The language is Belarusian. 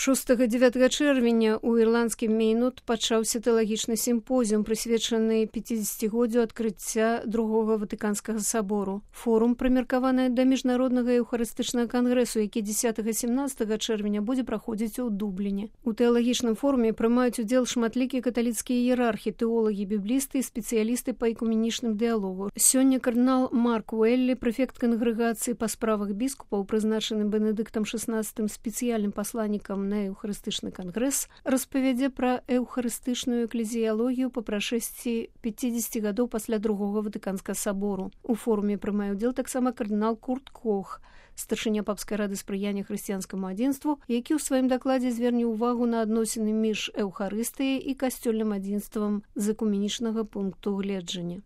6-9 чэрвеня ў ірландскім Мейнут пачаўся тэалагічны сімпозіум, прысвечаны 50годдзю адкрыцця Другога Ватыканскага сабору. Форум прымеркаваны да міжнароднага еўхарыстычнага кангрэсу, які 10-17 чэрвеня будзе праходзіць у Дубліне. У тэалагічным форуме прымаюць удзел шматлікія каталіцкія іерархі, тэолагі, біблісты і спецыялісты па экуменічным дыялогу. Сёння кардынал Марк Уэллі, прэфект кангрэгацыі па справах біскупаў, прызначаны Бенедыктам XVI спецыяльным пасланнікам на еўхарыстычны кангрэс, распавядзе пра еўхарыстычную эклезіялогію па прашэсці 50 гадоў пасля Другога Ватыканскага сабору. У форуме прымае ўдзел таксама кардынал Курт Кох, старшыня папскай рады спрыяння хрысціянскаму адзінству, які ў сваім дакладзе зверне ўвагу на адносіны між эўхарыстыяй і касцёльным адзінствам з экуменічнага пункту гледжання.